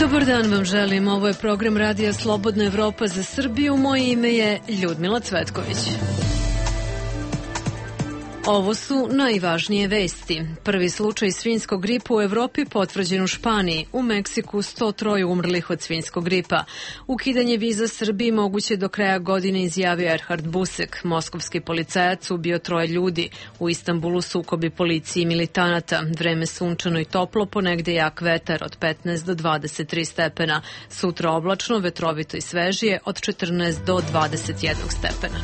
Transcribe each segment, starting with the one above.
Dobar dan vam želim, ovo je program Radija Slobodna Evropa za Srbiju, moje ime je Ljudmila Cvetković. Ovo su najvažnije vesti. Prvi slučaj svinjskog gripa u Evropi potvrđen u Španiji. U Meksiku 103 umrlih od svinjskog gripa. Ukidanje viza Srbiji moguće do kraja godine, izjavio Erhard Busek. Moskovski policajac ubio 3 ljudi. U Istanbulu sukobi policije i militanata. Vreme sunčano i toplo, ponegde jak vetar od 15 do 23 stepena. Sutra oblačno, vetrovito i svežije od 14 do 21 stepena.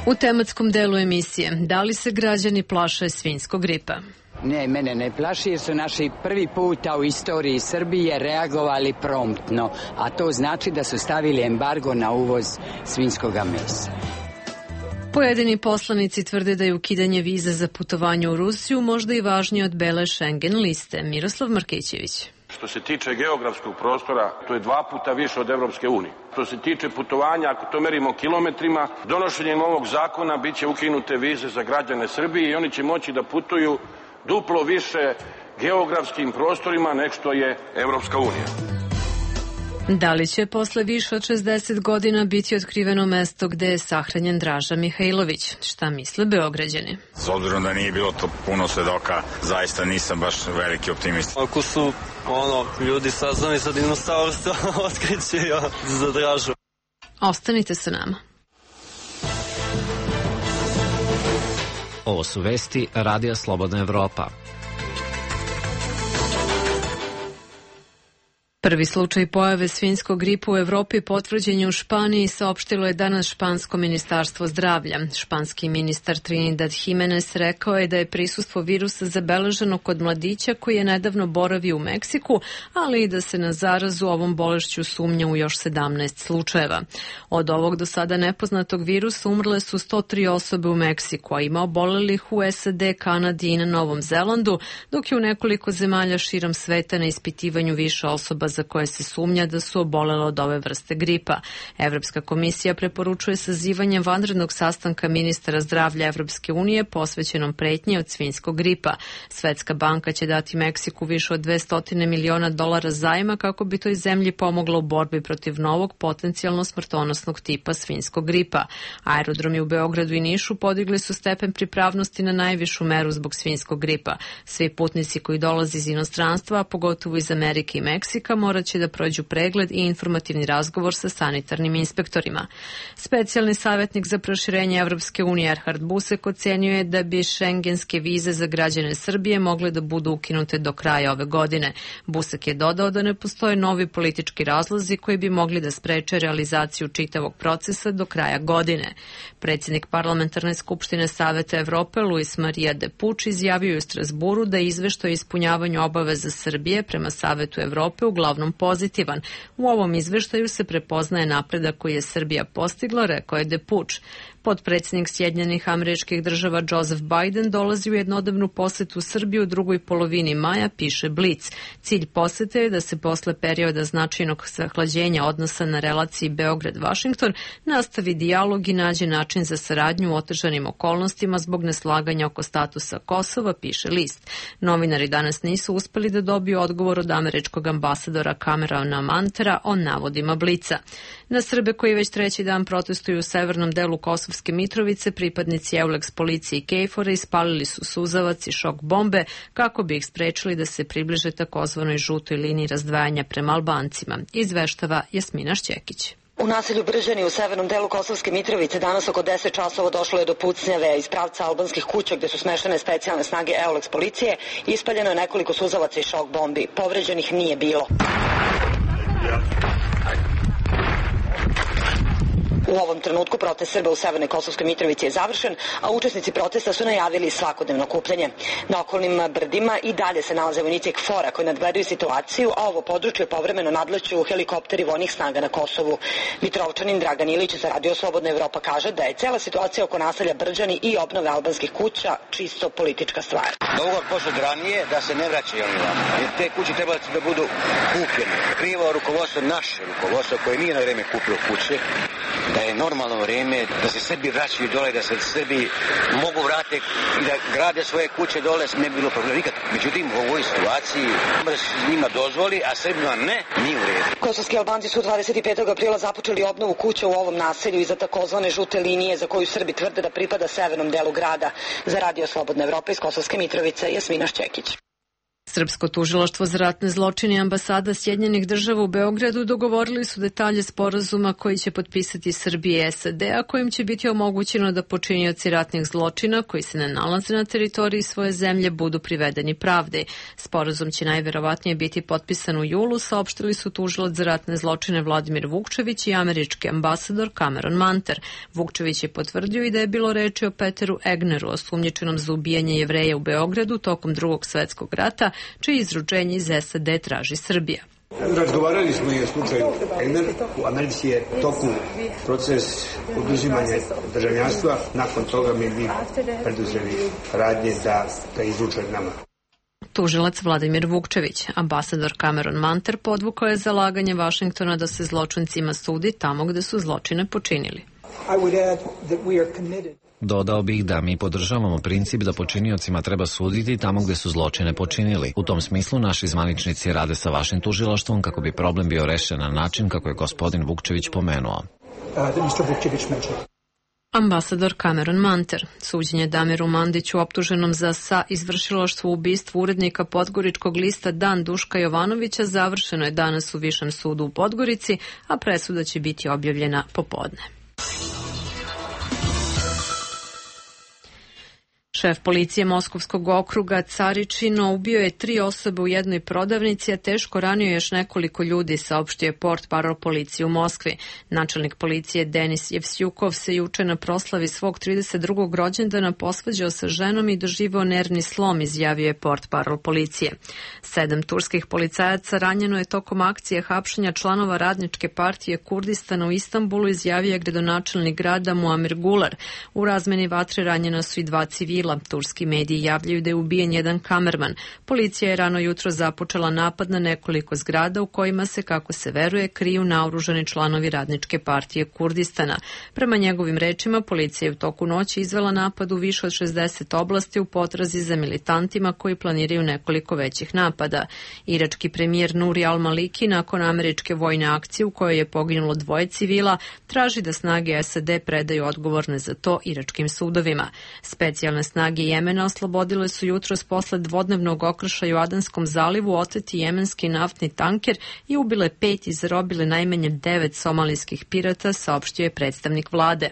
U tematskom delu emisije, da li se građani plaše svinjskog gripa? Ne, mene ne plaši jer su naši prvi puta u istoriji Srbije reagovali promptno, a to znači da su stavili embargo na uvoz svinjskoga mesa. Pojedini poslanici tvrde da je ukidanje viza za putovanje u Rusiju možda i važnije od bele Schengen liste. Miroslav Markićević. Što se tiče geografskog prostora, to je 2 puta više od Evropske unije. Što se tiče putovanja, ako to merimo kilometrima, donošenjem ovog zakona biće ukinute vize za građane Srbije i oni će moći da putuju duplo više geografskim prostorima nego što je Evropska unija. Da li će posle više od 60 godina biti otkriveno mesto gde je sahranjen Draža Mihajlović? Šta misle Beograđani? S obzirom da nije bilo to puno svedoka, zaista nisam baš veliki optimist. Ako su ljudi saznali sa dinosaurstva, otkriće za Dražu. Ostanite sa nama. Ovo su vesti Radija Slobodna Evropa. Prvi slučaj pojave svinjskog gripa u Evropi potvrđen je u Španiji, saopštilo je danas špansko ministarstvo zdravlja. Španski ministar Trinidad Jimenez rekao je da je prisustvo virusa zabeleženo kod mladića koji je nedavno boravio u Meksiku, ali i da se na zarazu ovom bolešću sumnja u još 17 slučajeva. Od ovog do sada nepoznatog virusa umrle su 103 osobe u Meksiku, a ima obolelih u SAD, Kanadi i na Novom Zelandu, dok je u nekoliko zemalja širom sveta na ispitivanju više osoba za koje se sumnja da su obolele od ove vrste gripa. Evropska komisija preporučuje sazivanje vanrednog sastanka ministara zdravlja Evropske unije posvećenom pretnji od svinjskog gripa. Svetska banka će dati Meksiku više od $200 miliona zajma kako bi toj zemlji pomogla u borbi protiv novog potencijalno smrtonosnog tipa svinjskog gripa. Aerodromi u Beogradu i Nišu podigli su stepen pripravnosti na najvišu meru zbog svinjskog gripa. Svi putnici koji dolaze iz inostranstva, a pogotovo iz Amerike i Meksika, morat će da prođu pregled i informativni razgovor sa sanitarnim inspektorima. Specijalni savjetnik za proširenje Evropske unije Erhard Busek ocenio je da bi šengenske vize za građane Srbije mogle da budu ukinute do kraja ove godine. Busek je dodao da ne postoje novi politički razlozi koji bi mogli da spreče realizaciju čitavog procesa do kraja godine. Predsjednik Parlamentarne skupštine Saveta Evrope Luis Maria de Puč izjavio je u Strasburu da je izveštaj o ispunjavanju obaveza Srbije prema Savetu Evrope uglavnom pozitivan. U ovom izveštaju se prepoznaje napredak koji je Srbija postigla, rekao je de Puč. Potpredsjednik Sjedinjenih Američkih Država Joseph Biden dolazi u jednodnevnu posetu Srbiju u drugoj polovini maja, piše Blic. Cilj posete je da se posle perioda značajnog zahlađenja odnosa na relaciji Beograd-Vašington nastavi dijalog i nađe način za saradnju u otežanim okolnostima zbog neslaganja oko statusa Kosova, piše list. Novinari danas nisu uspeli da dobiju odgovor od američkog ambasadora Camerona Mantera o navodima Blica. Na Srbe koji već 3. dan protestuju u severnom delu Kosovske Mitrovice, pripadnici Euleks policije i KFOR-a ispalili su suzavac i šok bombe kako bi ih sprečili da se približe takozvanoj žutoj liniji razdvajanja prema Albancima, izveštava Jasmina Šćekić. U naselju Bržani u severnom delu Kosovske Mitrovice danas oko 10 časova došlo je do pucnjave iz pravca albanskih kuća gde su smeštene specijalne snage Euleks policije i ispaljeno je nekoliko suzavaca i šok bombi. Povređenih nije bilo. U ovom trenutku protest Srba u severnoj Kosovskoj Mitrovici je završen, a učesnici protesta su najavili svakodnevno okupljanje. Na okolnim brdima i dalje se nalaze vojnici KFOR-a koji nadgledaju situaciju, a ovo područje povremeno nadleću helikopteri vojnih snaga na Kosovu. Mitrovčanin Dragan Ilić za Radio Slobodna Evropa kaže da je cela situacija oko naselja Brđani i obnove albanskih kuća čisto politička stvar. Dogovor posled ranije da se ne vraćaju oni vama, jer te kuće trebali da budu kupljene. Krivo rukovodstvo, naše rukovodstvo koje nije na vreme kupilo kuće, da je normalno vrijeme da se Srbi vraćaju dole, da se Srbi mogu vratiti i da grade svoje kuće dole, ne bi bilo problema nikad. Međutim, u ovoj situaciji da se njima dozvoli, a Srbima ne, nije u redu. Kosovski Albanci su 25. aprila započeli obnovu kuća u ovom naselju iza takozvane žute linije za koju Srbi tvrde da pripada severnom delu grada. Za Radio Slobodna Evropa iz Kosovske Mitrovice, Jasmina Šćekić. Srpsko tužilaštvo za ratne zločine i ambasada Sjedinjenih država u Beogradu dogovorili su detalje sporazuma koji će potpisati Srbija i SAD, a kojim će biti omogućeno da počinioci ratnih zločina koji se ne nalaze na teritoriji svoje zemlje budu privedeni pravdi. Sporazum će najverovatnije biti potpisan u julu, saopštili su tužilac za ratne zločine Vladimir Vukčević i američki ambasador Cameron Manter. Vukčević je potvrdio i da je bilo reči o Peteru Egneru, osumnjičenom za ubijanje Jevreja u Beogradu tokom Drugog svetskog rata, čije izručenje iz SAD traži Srbija. Razgovarali smo i o slučaju Egner. U Americi je toku proces oduzimanja državljanstva. Nakon toga mi preduzeli radnje da ga izruče nama. Tužilac Vladimir Vukčević. Ambasador Cameron Manter podvukao je zalaganje Vašingtona da se zločincima sudi tamo gde su zločine počinili. Dodao bih da mi podržavamo princip da počiniocima treba suditi tamo gde su zločine počinili. U tom smislu naši zvaničnici rade sa vašim tužilaštvom kako bi problem bio rešen na način kako je gospodin Vukčević pomenuo. Ambasador Cameron Manter. Suđenje Damiru Mandiću optuženom za izvršilaštvo u ubistvu urednika podgoričkog lista Dan Duška Jovanovića završeno je danas u Višem sudu u Podgorici, a presuda će biti objavljena popodne. Šef policije Moskovskog okruga Caričino ubio je 3 osobe u jednoj prodavnici, a teško ranio još nekoliko ljudi, saopštio je portparol policije u Moskvi. Načelnik policije Denis Jevsjukov se juče na proslavi svog 32. rođendana posvađao sa ženom i doživao nervni slom, izjavio je portparol policije. 7 turskih policajaca ranjeno je tokom akcije hapšenja članova Radničke partije Kurdistana u Istanbulu, izjavio je gradonačelnik grada Muamir Gular. U razmeni vatre ranjena su i 2 civila. Turski mediji javljaju da je ubijen jedan kamerman. Policija je rano jutro započela napad na nekoliko zgrada u kojima se, kako se veruje, kriju naoružani članovi Radničke partije Kurdistana. Prema njegovim rečima, policija je u toku noći izvela napad u više od 60 oblasti u potrazi za militantima koji planiraju nekoliko većih napada. Irački premijer Nuri al-Maliki nakon američke vojne akcije u kojoj je poginulo 2 civila traži da snage SAD predaju odgovorne za to iračkim sudovima. Specijalne snage Jemena oslobodile su jutros posle dvodnevnog okršaja u Adanskom zalivu oteti jemenski naftni tanker i ubile 5 i zarobile najmanje 9 somalijskih pirata, saopštio je predstavnik vlade.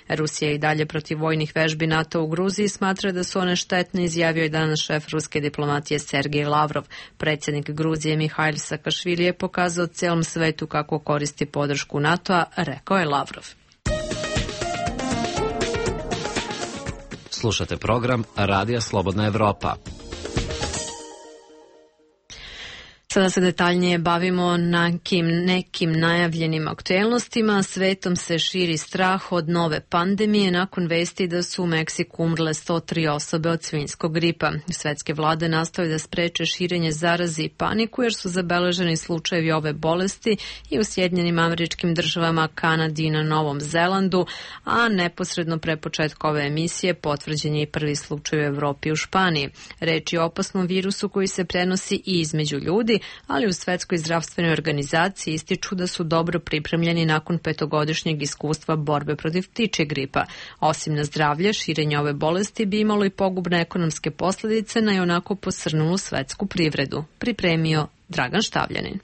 Rusija i dalje protiv vojnih vežbi NATO u Gruziji smatra da su one štetne, izjavio je danas šef ruske diplomatije Sergej Lavrov. Predsjednik Gruzije Mihajl Sakašvili je pokazao celom svetu kako koristi podršku NATO-a, rekao je Lavrov. Slušate program Radija Slobodna Evropa. Sada se detaljnije bavimo nekim najavljenim aktuelnostima. Svetom se širi strah od nove pandemije nakon vesti da su u Meksiku umrle 103 osobe od svinjskog gripa. Svetske vlade nastoje da spreče širenje zaraze i paniku jer su zabeleženi slučajevi ove bolesti i u Sjedinjenim Američkim Državama, Kanadi i na Novom Zelandu, a neposredno pre početka ove emisije potvrđen je i prvi slučaj u Evropi i u Španiji. Reč je o opasnom virusu koji se prenosi i između ljudi, ali u Svetskoj zdravstvenoj organizaciji ističu da su dobro pripremljeni nakon 5-godišnjeg iskustva borbe protiv ptičjeg gripa. Osim na zdravlje, širenje ove bolesti bi imalo i pogubne ekonomske posljedice na ionako posrnulu svetsku privredu. Pripremio Dragan Štavljanin.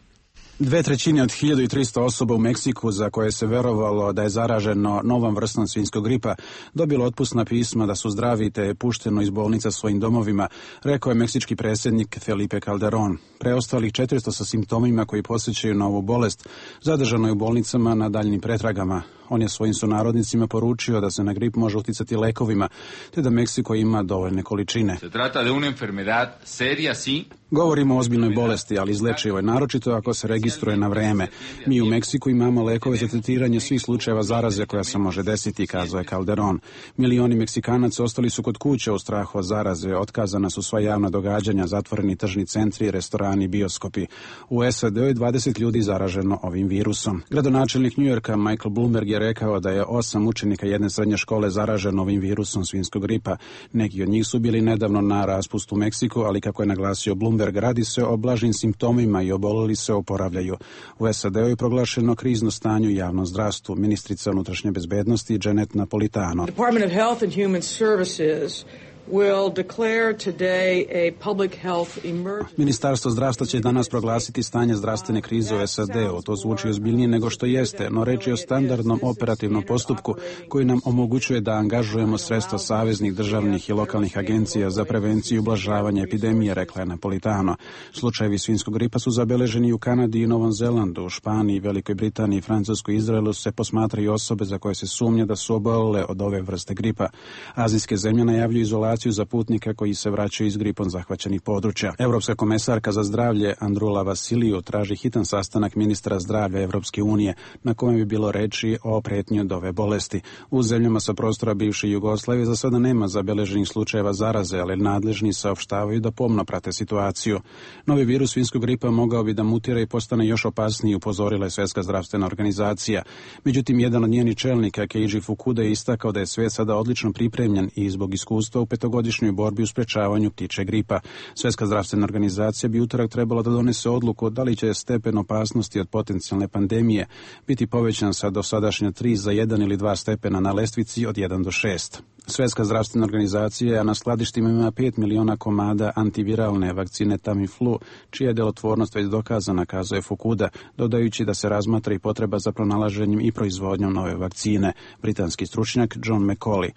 2/3 od 1300 osoba u Meksiku za koje se verovalo da je zaraženo novom vrstom svinjskog gripa dobilo otpusna pisma da su zdravi te je pušteno iz bolnica svojim domovima, rekao je meksički predsjednik Felipe Calderón. Preostalih 400 sa simptomima koji posjećaju na ovu bolest zadržano je u bolnicama na daljnim pretragama. On je svojim sunarodnicima poručio da se na grip može uticati lekovima, te da Meksiko ima dovoljne količine. Se trata de una enfermedad seria, sí. Govorimo o ozbiljnoj bolesti, ali izlečivo je, naročito ako se registruje na vreme. Mi u Meksiku imamo lekove za tretiranje svih slučajeva zaraze koja se može desiti, kazao je Calderón. Milioni Meksikanaca ostali su kod kuće u strahu od zaraze, otkazana su sva javna događanja, zatvoreni tržni centri, restorani, bioskopi. U SAD-u je 20 ljudi zaraženo ovim virusom. Gradonačelnik Njujorka Michael Bloomberg je je rekao da je 8 učenika jedne srednje škole zaraženo ovim virusom svinjskog gripa. Neki od njih su bili nedavno na raspustu u Meksiku, ali kako je naglasio Bloomberg, radi se o blažim simptomima i oboleli se oporavljaju. U SAD-u je proglašeno krizno stanje u javnom zdravstvu. Ministrica unutrašnje bezbednosti Janet Napolitano. Department of Health and Human Services will declare today a public health emergency. Ministarstvo zdravstva će danas proglasiti stanje zdravstvene krize u SAD-u. To zvuči ozbiljnije nego što jeste, no reč je o standardnom operativnom postupku koji nam omogućuje da angažujemo sredstva saveznih, državnih i lokalnih agencija za prevenciju i ublažavanje epidemije, rekla je Napolitano. Slučajevi svinjskog gripa su zabeleženi u Kanadi i Novom Zelandu, u Španiji, Velikoj Britaniji, Francuskoj i Izraelu se posmatraju osobe za koje se sumnja da su obolele od ove vrste gripa. Azijske zemlje najavljuju izolaciju za putnika koji se vraćaju iz gripom zahvaćenih područja. Europska komesarka za zdravlje Andrula Vasiliju traži hitan sastanak ministra zdravlja Evropske unije na kojem bi bilo reči o pretnji od ove bolesti. U zemljama sa prostora bivše Jugoslavije za sada nema zabeleženih slučajeva zaraze, ali nadležni saopštavaju da pomno prate situaciju. Novi virus svinjskog gripa mogao bi da mutira i postane još opasniji, upozorila je Svjetska zdravstvena organizacija. Međutim, jedan od njenih čelnika, Keiji Fukuda, je istakao da je svijet sada odlično pripremljen i zbog iskustva u petogodišnjoj borbi u sprečavanju ptičje gripa. Svjetska zdravstvena organizacija bi utorak trebala da donese odluku da li će stepen opasnosti od potencijalne pandemije biti povećan sa dosadašnja 3 za 1 ili 2 stepena na lestvici od 1 do 6. Svjetska zdravstvena organizacija na skladištima ima 5 miliona komada antiviralne vakcine Tamiflu, čija je djelotvornost već dokazana, kazuje Fukuda, dodajući da se razmatra i potreba za pronalaženjem i proizvodnjom nove vakcine. Britanski stručnjak John McCauley.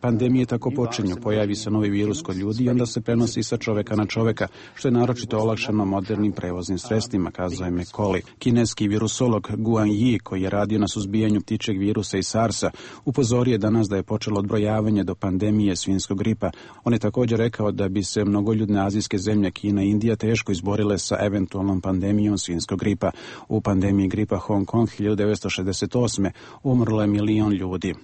Pandemije tako počinju, pojavi se novi virus kod ljudi i onda se prenosi sa čoveka na čoveka, što je naročito olakšano modernim prevoznim sredstvima, kazuje McCauley. Kineski virusolog Guan Yi, koji je radio na suzbijanju ptičjeg virusa i SARS-a, upozorio je danas da je počelo odbrojavanje do pandemije svinjskog gripa. On je također rekao da bi se mnogoljudne azijske zemlje Kina i Indija teško izborile sa eventualnom pandemijom svinjskog gripa. U pandemiji gripa Hong Kong 1968. umrlo je 1 milion ljudi.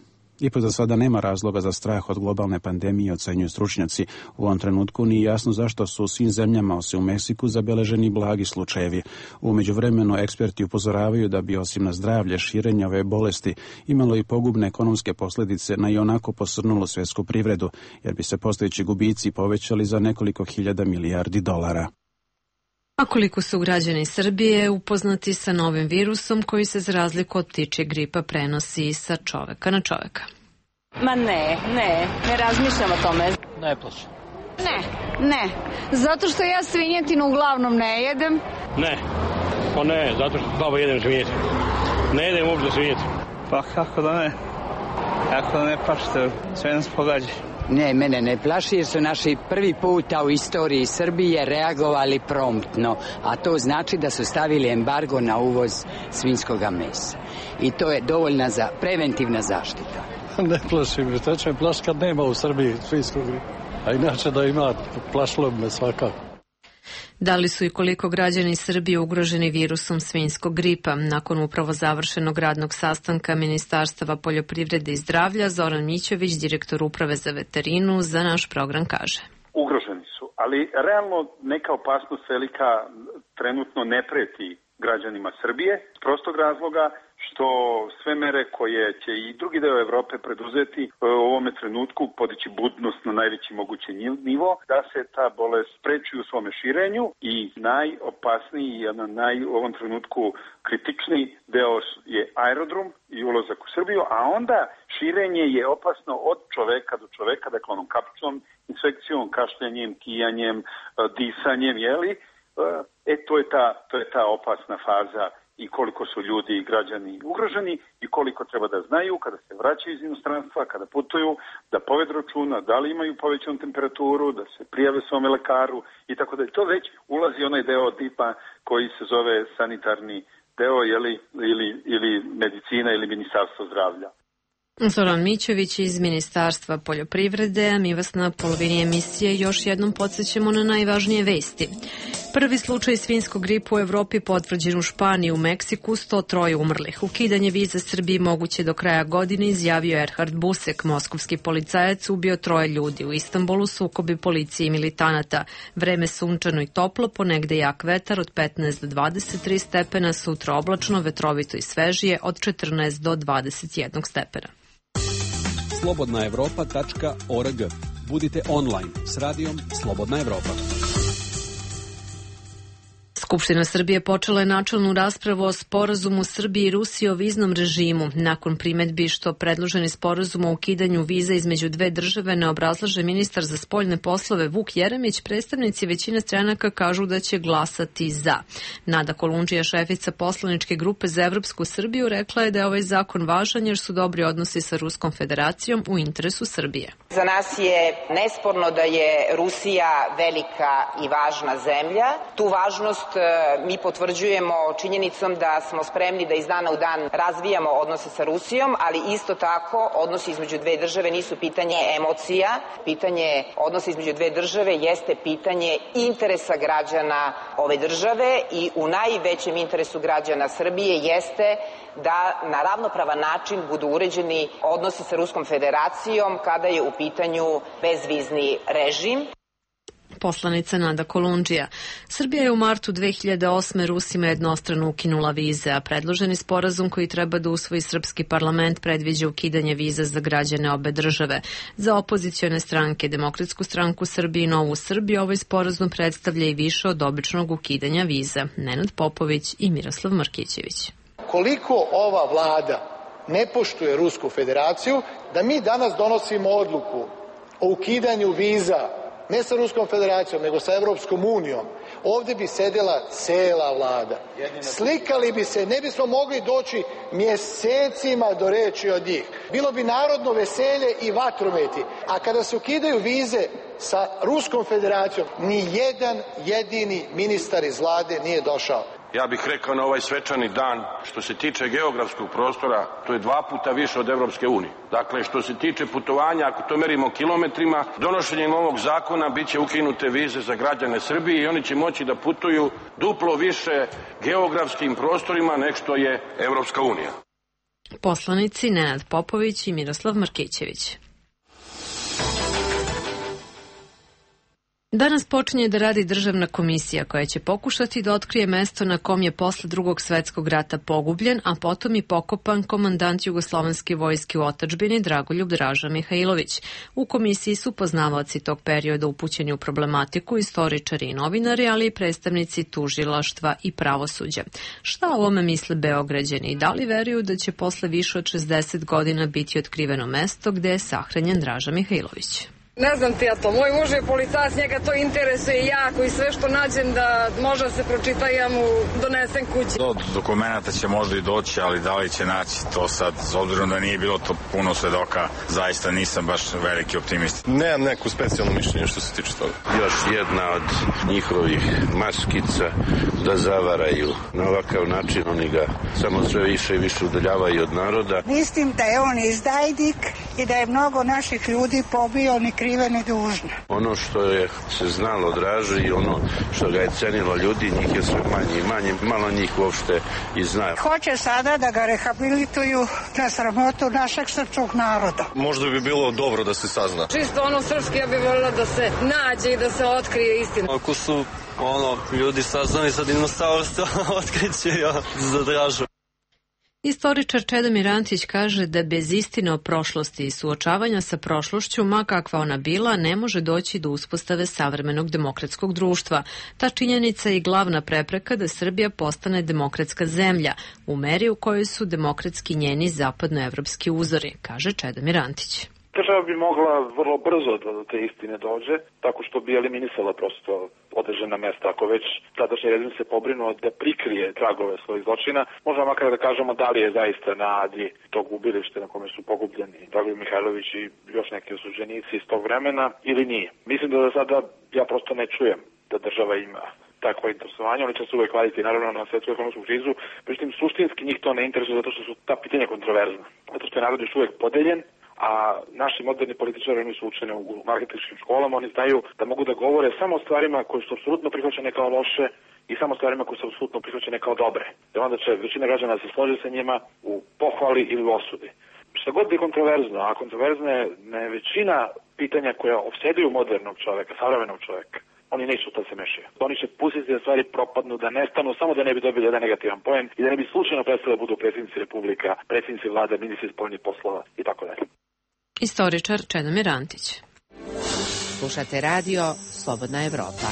Ipak za sada nema razloga za strah od globalne pandemije, ocenjuju stručnjaci. U ovom trenutku nije jasno zašto su u svim zemljama, osim u Meksiku, zabeleženi blagi slučajevi. U međuvremenu eksperti upozoravaju da bi osim na zdravlje širenja ove bolesti imalo i pogubne ekonomske posljedice na ionako posrnulu svjetsku privredu, jer bi se postojeći gubici povećali za nekoliko hiljada milijardi dolara. A koliko su građani Srbije upoznati sa novim virusom koji se za razliku od ptičjeg gripa prenosi sa čoveka na čoveka? Ma ne razmišljam o tome. Ne plaćam. Ne, zato što ja svinjetinu uglavnom ne jedem. Ne, zato što slabo jedem svinjetinu. Ne jedem uopšte svinjetinu. Pa kako da ne plašite, sve nas pogađa. Ne, mene ne plaši jer su naši prvi puta u istoriji Srbije reagovali promptno, a to znači da su stavili embargo na uvoz svinjskoga mesa. I to je dovoljna preventivna zaštita. Ne plaši me, šta će me plaši kad nema u Srbiji svinjskog gripa, a inače da ima, plašilo me svakako. Da li su i koliko građani Srbije ugroženi virusom svinjskog gripa? Nakon upravo završenog radnog sastanka Ministarstava poljoprivrede i zdravlja, Zoran Mićović, direktor uprave za veterinu, za naš program kaže. Ugroženi su, ali realno neka opasnost velika trenutno ne preti građanima Srbije, iz prostog razloga što sve mere koje će i drugi deo Evrope preduzeti u ovome trenutku podići budnost na najveći mogući nivo, da se ta bolest spreči u svome širenju i najopasniji, u ovom trenutku kritičniji deo je aerodrom i ulazak u Srbiju, a onda širenje je opasno od čoveka do čoveka, dakle onom kapičnom infekcijom, kašljanjem, kijanjem, disanjem, to je ta opasna faza i koliko su ljudi i građani ugroženi i koliko treba da znaju kada se vraćaju iz inostranstva, kada putuju, da povedu računa da li imaju povećanu temperaturu, da se prijave svome lekaru i tako da. To već ulazi onaj deo tipa koji se zove sanitarni deo ili medicina ili ministarstvo zdravlja. Zoran Mićović iz Ministarstva poljoprivrede, a mi vas na polovini emisije još jednom podsjećamo na najvažnije vesti. Prvi slučaj svinjskog gripa u Evropi potvrđen u Španiji, u Meksiku 103 umrlih. Ukidanje viza Srbiji moguće do kraja godine, izjavio Erhard Busek, moskovski policajac ubio 3 ljudi. U Istanbulu sukobi policije i militanata. Vreme sunčano i toplo, ponegde jak vetar od 15 do 23 stepena, sutra oblačno, vetrovito i svežije od 14 do 21 stepena. slobodnaevropa.org. Budite online s radijom Slobodna Evropa. Skupština Srbije počela je načelnu raspravu o sporazumu Srbije i Rusije o viznom režimu. Nakon primetbi što predloženi sporazum o ukidanju viza između dve države ne obrazlaže ministar za spoljne poslove Vuk Jeremić, predstavnici većine stranaka kažu da će glasati za. Nada Kolundžija, šefica poslaničke grupe za Evropsku Srbiju, rekla je da je ovaj zakon važan jer su dobri odnosi sa Ruskom federacijom u interesu Srbije. Za nas je nesporno da je Rusija velika i važna zemlja. Tu važnost mi potvrđujemo činjenicom da smo spremni da iz dana u dan razvijamo odnose sa Rusijom, ali isto tako odnosi između dve države nisu pitanje emocija. Pitanje odnosa između dve države jeste pitanje interesa građana ove države i u najvećem interesu građana Srbije jeste da na ravnopravan način budu uređeni odnosi sa Ruskom federacijom kada je u pitanju bezvizni režim. Poslanica Nada Kolundžija. Srbija je u martu 2008. Rusima jednostrano ukinula vize, a predloženi sporazum koji treba da usvoji srpski parlament predviđa ukidanje viza za građane obe države. Za opozicione stranke, Demokratsku stranku Srbije i Novu Srbiju, ovaj sporazum predstavlja i više od običnog ukidanja viza. Nenad Popović i Miroslav Markićević. Koliko ova vlada ne poštuje Rusku federaciju, da mi danas donosimo odluku o ukidanju viza ne sa Ruskom federacijom, nego sa Evropskom unijom, ovde bi sedela cela vlada. Slikali bi se, ne bismo mogli doći mjesecima do reči od njih. Bilo bi narodno veselje i vatrometi. A kada se ukidaju vize sa Ruskom federacijom, ni jedan jedini ministar iz vlade nije došao. Ja bih rekao na ovaj svečani dan, što se tiče geografskog prostora, to je 2 puta više od Evropske unije. Dakle, što se tiče putovanja, ako to merimo kilometrima, donošenjem ovog zakona biće ukinute vize za građane Srbije i oni će moći da putuju duplo više geografskim prostorima nego što je Evropska unija. Poslanici Nenad Popović i Miroslav Markićević. Danas počinje da radi državna komisija koja će pokušati da otkrije mesto na kom je posle Drugog svetskog rata pogubljen, a potom i pokopan komandant Jugoslovenske vojske u otadžbini Dragoljub Draža Mihajlović. U komisiji su poznavaoci tog perioda upućeni u problematiku, istoričari i novinari, ali i predstavnici tužilaštva i pravosuđa. Šta o ovome misle Beograđani i da li veruju da će posle više od 60 godina biti otkriveno mesto gde je sahranjen Draža Mihajlović? Ne znam ti ja to, moj muž je policajac, njega to interesuje jako i sve što nađem da može se pročita ja mu donesem kući. Do dokumenta će možda i doći, ali da li će naći to sad, s obzirom da nije bilo to puno svedoka, zaista nisam baš veliki optimist. Nemam neku specijalno mišljenje što se tiče toga. Još jedna od njihovih maskica da zavaraju. Na ovakav način oni ga samo sve više i više udaljavaju od naroda. Mislim da je on izdajnik i da je mnogo naših ljudi pobio ni krive ni dužne. Ono što je se znalo Draži i ono što ga je cenilo ljudi, njih je sve manje i manje, malo njih uopšte i zna. Hoće sada da ga rehabilituju na sramotu našeg srpskog naroda. Možda bi bilo dobro da se sazna. Čisto ono srpski, ja bih voljela da se nađe i da se otkrije istina. Ako su ljudi saznali sa dinosaurstva, otkriće za Dražu. Istoričar Čedomir Antić kaže da bez istine o prošlosti i suočavanja sa prošlošću, ma kakva ona bila, ne može doći do uspostave savremenog demokratskog društva. Ta činjenica je glavna prepreka da Srbija postane demokratska zemlja, u meri u kojoj su demokratski njeni zapadnoevropski uzori, kaže Čedomir Antić. Država bi mogla vrlo brzo da do te istine dođe, tako što bi eliminisala prosto određena mesta. Ako već tadašnji režim se pobrinuo da prikrije tragove svojih zločina, možemo makar da kažemo da li je zaista na Adi tog ubilište na kome su pogubljeni Dragoljub Mihajlović i još neki osuđenici iz tog vremena ili nije. Mislim da sada ja prosto ne čujem da država ima takvo interesovanje. Oni će se uvek vaditi naravno na svetsku ekonomsku krizu, međutim suštinski njih to ne interesuje zato što su ta pitanja kontroverzna. Zato što je narod još uvek podeljen, a naši moderni političari nisu učeni u marketinškim školama, oni znaju da mogu da govore samo o stvarima koje su apsolutno prihvaćene kao loše i samo stvarima koje su apsolutno prihvaćene kao dobre. I onda će većina građana se složi sa njima u pohvali ili u osudi. Šta god je kontroverzno, a kontroverzna je većina pitanja koja opseduju modernog čoveka, savremenog čoveka, oni neće u to se mešaju. Oni će pustiti da stvari propadnu, da nestanu, samo da ne bi dobili jedan negativan poen i da ne bi slučajno prestali da budu predsjednici republika, predsjednici vlade, ministri spoljnih poslova i tako dalje. Istoričar Čedomir Antić. Slušate radio Slobodna Evropa.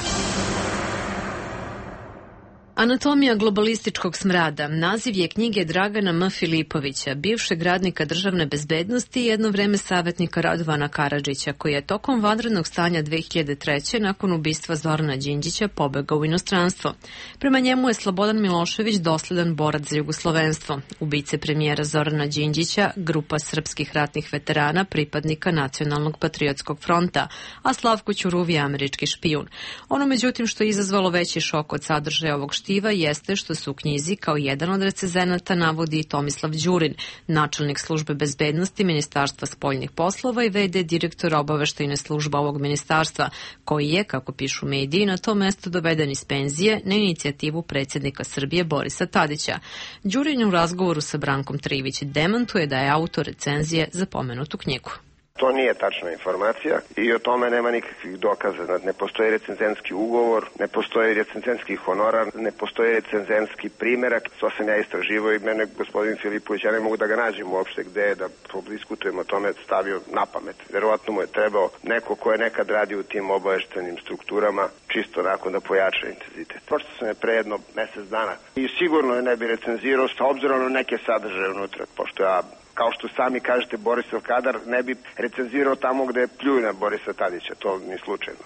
Anatomija globalističkog smrada naziv je knjige Dragana M. Filipovića, bivšeg radnika državne bezbednosti i jedno vreme savjetnika Radovana Karadžića, koji je tokom vanrednog stanja 2003. nakon ubistva Zorana Đinđića pobegao u inostranstvo. Prema njemu je Slobodan Milošević dosledan borac za jugoslovenstvo. Ubice premijera Zorana Đinđića, grupa srpskih ratnih veterana, pripadnika Nacionalnog patriotskog fronta, a Slavko Ćuruv je američki špijun. Ono međutim što je izazvalo veći šok od sadržaja ovog štiva jeste što se u knjizi kao jedan od recenzenata navodi i Tomislav Đurin, načelnik službe bezbednosti Ministarstva spoljnih poslova i v.d. direktora obaveštajne službe ovog ministarstva, koji je, kako pišu mediji, na to mesto doveden iz penzije na inicijativu predsjednika Srbije Borisa Tadića. Đurin u razgovoru sa Brankom Trivić demantuje da je autor recenzije za pomenutu knjigu. To nije tačna informacija i o tome nema nikakvih dokaza. Ne postoji recenzenski ugovor, ne postoji recenzenski honorar, ne postoji recenzenski primerak. To sam ja istraživao i mene gospodin Filipović, ja ne mogu da ga nađem uopšte gde je da diskutujemo o tome, stavio na pamet. Verovatno mu je trebao neko ko je nekad radio u tim obaveštenim strukturama, čisto nakon da pojača intenzitet. Pročito sam je pre jedno mesec dana i sigurno je ne bi recenzirao sa obzirom na neke sadržaje unutra, pošto ja, kao što sami kažete, Borisov kadar ne bi recenzirao tamo gde pljuju na Borisa Tadića, to ni slučajno.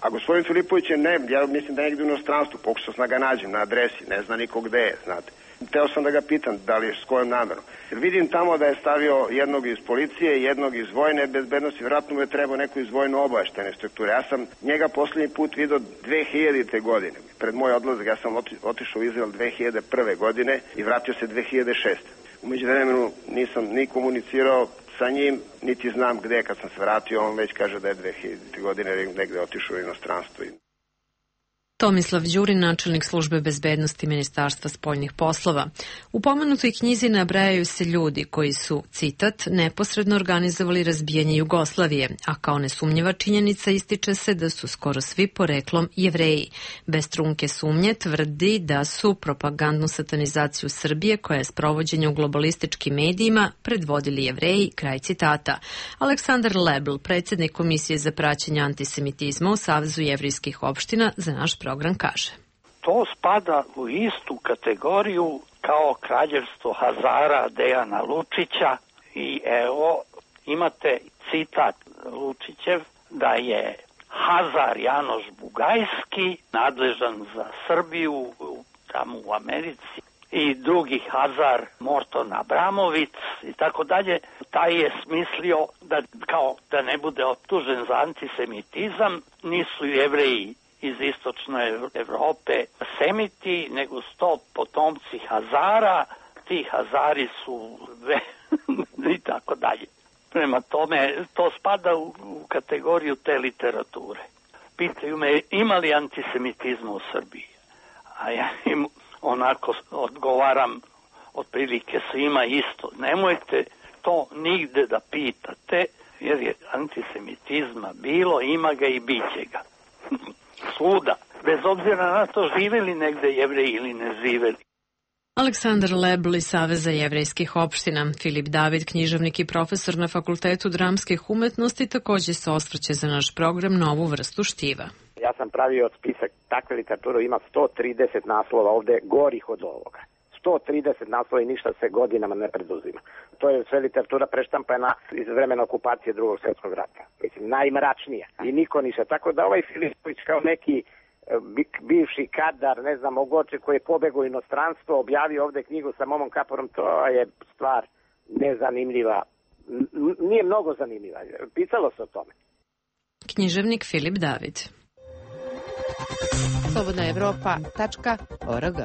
A gospodin Filipović je, ja mislim da je negdje u inostranstvu, pokušao sam da ga nađem na adresi, ne zna niko gde je, znate. Teo sam da ga pitam da li je s kojom namerom. Vidim tamo da je stavio jednog iz policije, jednog iz vojne bezbednosti, vjerojatno mu je trebao neko iz vojno obaveštajne strukture. Ja sam njega posljednji put vidio 2000. godine. Pred moj odlazak ja sam otišao u Izrael 2001. godine i vratio se 2006. U međuvremenu nisam ni komunicirao sa njim, niti znam gde. Kad sam se vratio, on već kaže da je 2000. godine negde otišao u inostranstvo. Tomislav Đurin, načelnik službe bezbednosti Ministarstva spoljnih poslova. U pomenutoj knjizi nabrajaju se ljudi koji su, citat, neposredno organizovali razbijanje Jugoslavije, a kao nesumnjiva činjenica ističe se da su skoro svi poreklom Jevreji. Bez trunke sumnje tvrdi da su propagandnu satanizaciju Srbije, koja je sprovođenja u globalističkim medijima, predvodili Jevreji, kraj citata. Aleksandar Lebl, predsjednik Komisije za praćenje antisemitizma u Savezu jevrijskih opština, za naš program kaže. To spada u istu kategoriju kao kraljevstvo Hazara Dejana Lučića i evo imate citat Lučićev da je Hazar Janoš Bugajski nadležan za Srbiju tamo u Americi i drugi Hazar Morton Abramovic i tako dalje. Taj je smislio da kao da ne bude optužen za antisemitizam, nisu Jevreji iz istočne Evrope semiti, nego sto potomci Hazara, ti Hazari su i tako dalje. Prema tome, to spada u kategoriju te literature. Pitaju me, ima li antisemitizma u Srbiji? A ja im onako odgovaram, otprilike svima isto. Nemojte to nigde da pitate, jer je antisemitizma bilo, ima ga i biće ga. Svuda, bez obzira na to živeli negde Jevreji ili ne živeli. Aleksandar Lebl iz Saveza jevrejskih opština. Filip David, književnik i profesor na Fakultetu dramskih umetnosti, takođe se osvrće za naš program na ovu vrstu štiva. Ja sam pravio spisak takve literature, ima 130 naslova ovde gorih od ovoga. 130 naslova i ništa se godinama ne preduzima. To je sve literatura preštampana iz vremena okupacije Drugog svjetskog rata. Mislim, najmračnija. I niko ništa. Tako da ovaj Filipović kao neki bivši kadar, ne znam, Ogoče koji je pobegao u inostranstvo, objavio ovde knjigu sa Momom Kaporom, to je stvar nezanimljiva. Nije mnogo zanimljiva. Pisalo se o tome. Književnik Filip David. slobodnaevropa.org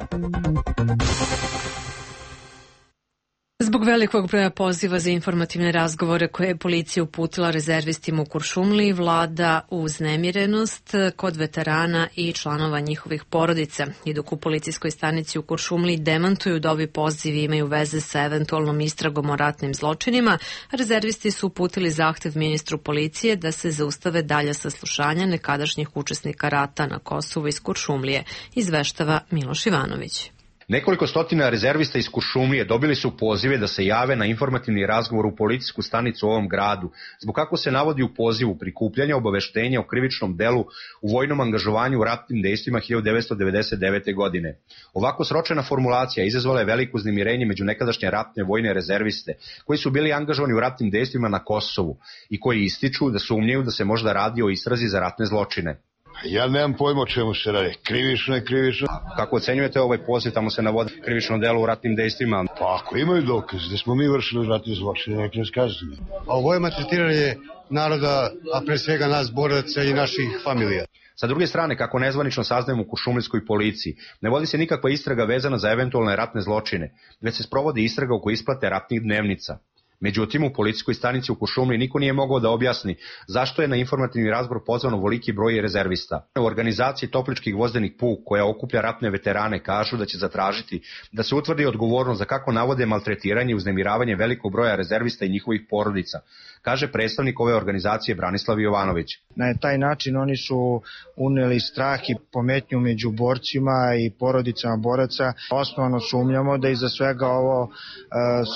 Zbog velikog broja poziva za informativne razgovore koje je policija uputila rezervistima u Kuršumliji, vlada uznemirenost kod veterana i članova njihovih porodica. I dok u policijskoj stanici u Kuršumliji demantuju da ovi pozivi imaju veze sa eventualnom istragom o ratnim zločinima, rezervisti su uputili zahtev ministru policije da se zaustave dalja saslušanja nekadašnjih učesnika rata na Kosovu iz Kuršumlije, izveštava Miloš Ivanović. Nekoliko stotina rezervista iz Kuršumlije dobili su pozive da se jave na informativni razgovor u policijsku stanicu u ovom gradu, zbog kako se navodi u pozivu prikupljanja obaveštenja o krivičnom delu u vojnom angažovanju u ratnim dejstvima 1999. godine. Ovako sročena formulacija izazvala je veliko uznemirenje među nekadašnje ratne vojne rezerviste, koji su bili angažovani u ratnim dejstvima na Kosovu i koji ističu da sumnjaju da se možda radi o istrazi za ratne zločine. Ja nemam pojma o čemu se radi. Krivično je krivično. Kako ocenjujete ovaj poziv, tamo se navodi krivično delo u ratnim dejstvima? Pa ako imaju dokaz da smo mi vršili ratne zločine, neka nas kažu. A ovo je maltretiranje naroda, a pre svega nas boraca i naših familija. Sa druge strane, kako nezvanično saznajemo u kuršumlijskoj policiji, ne vodi se nikakva istraga vezana za eventualne ratne zločine, već se sprovodi istraga oko isplate ratnih dnevnica. Međutim, u policijskoj stanici u Kuršumliji niko nije mogao da objasni zašto je na informativni razgovor pozvano ovoliki broj rezervista. U organizaciji Toplički gvozdeni puk, koja okuplja ratne veterane, kažu da će zatražiti da se utvrdi odgovornost za kako navode maltretiranje i uznemiravanje velikog broja rezervista i njihovih porodica, kaže predstavnik ove organizacije Branislav Jovanović. Na taj način oni su uneli strah i pometnju među borcima i porodicama boraca. Osnovano sumnjamo da iza svega ovo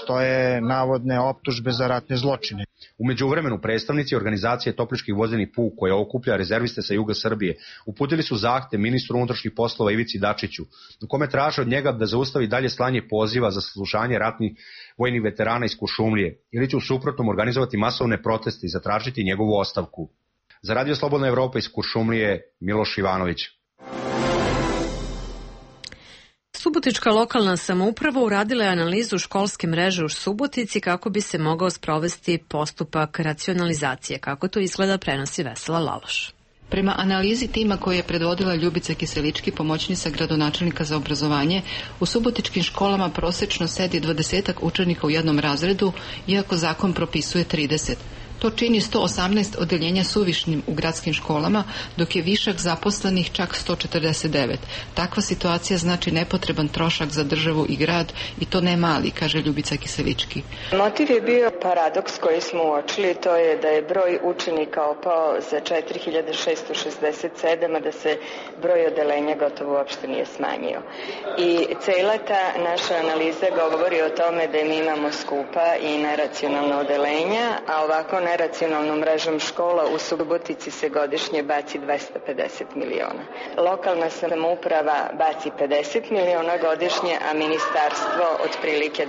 stoje navodne optužbe za ratne zločine. U međuvremenu predstavnici organizacije Toplički gvozdeni puk, koja okuplja rezerviste sa juga Srbije, uputili su zahtev ministru unutrašnjih poslova Ivici Dačiću, u kome traže od njega da zaustavi dalje slanje poziva za saslušanje ratnih vojnih veterana iz Kuršumlije, ili će u suprotnom organizovati masovne proteste i zatražiti njegovu ostavku. Za Radio Slobodna Evropa iz Kuršumlije, Miloš Ivanović. Subotička lokalna samouprava uradila je analizu školske mreže u Subotici kako bi se mogao sprovesti postupak racionalizacije. Kako to izgleda, prenosi Vesela Laloš. Prema analizi tima koju je predvodila Ljubica Kiselički, pomoćnica gradonačelnika za obrazovanje, u subotičkim školama prosečno sedi 20 učenika u jednom razredu, iako zakon propisuje 30. To čini 118 odeljenja suvišnim u gradskim školama, dok je višak zaposlenih čak 149. Takva situacija znači nepotreban trošak za državu i grad, i to ne mali, kaže Ljubica Kiselički. Motiv je bio paradoks koji smo uočili, to je da je broj učenika opao za 4667, a da se broj odeljenja gotovo uopšte nije smanjio. I cela ta naša analiza govori o tome da mi imamo skupa i neracionalna odeljenja, a ovako neracionalnom mrežom škola u Subotici se godišnje baci 250 miliona. Lokalna samouprava baci 50 miliona godišnje, a ministarstvo otprilike 200.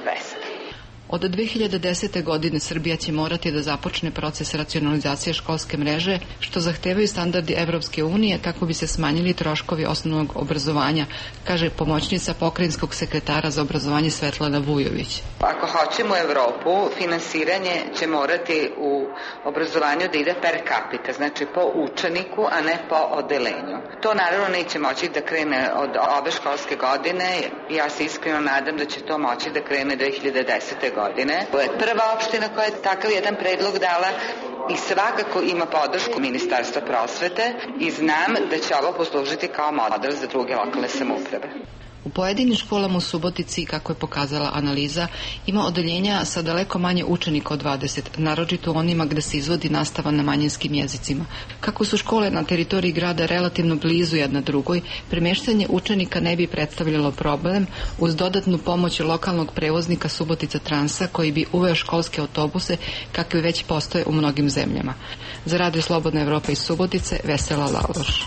Od 2010. godine Srbija će morati da započne proces racionalizacije školske mreže, što zahtevaju standardi Evropske unije kako bi se smanjili troškovi osnovnog obrazovanja, kaže pomoćnica pokrajinskog sekretara za obrazovanje Svetlana Vujović. Ako hoćemo u Evropu, finansiranje će morati u obrazovanju da ide per capita, znači po učeniku, a ne po odelenju. To naravno neće moći da krene od ove školske godine. Ja se iskreno nadam da će to moći da krene 2010. godine. To je prva opština koja je takav jedan predlog dala i svakako ima podršku Ministarstva prosvete i znam da će ovo poslužiti kao model za druge lokalne samouprave. U pojedinim školama u Subotici, kako je pokazala analiza, ima odeljenja sa daleko manje učenika od 20, naročito u onima gde se izvodi nastava na manjinskim jezicima. Kako su škole na teritoriji grada relativno blizu jedna drugoj, premeštanje učenika ne bi predstavljalo problem uz dodatnu pomoć lokalnog prevoznika Subotica Transa, koji bi uveo školske autobuse kakvi već postoje u mnogim zemljama. Za Radio Slobodna Evropa iz Subotice, Vesela Laloš.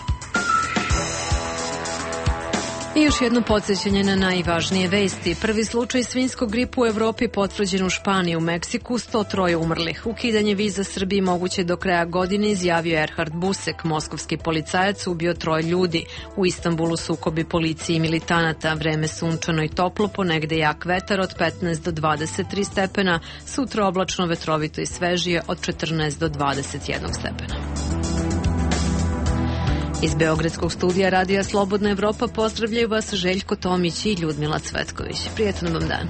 I još jedno podsjećanje na najvažnije vesti. Prvi slučaj svinjskog gripa u Evropi potvrđen u Španiji, u Meksiku 103 umrlih. Ukidanje viza Srbiji moguće do kraja godine, izjavio Erhard Busek, moskovski policajac ubio 3 ljudi. U Istanbulu sukobi policije i militanata, vreme sunčano i toplo, ponegde jak vetar od 15 do 23 stepena, sutra oblačno, vetrovito i svežije od 14 do 21 stepena. Iz Beogradskog studija Radija Slobodna Evropa pozdravljaju vas Željko Tomić i Ljudmila Cvetković. Prijetan vam dan.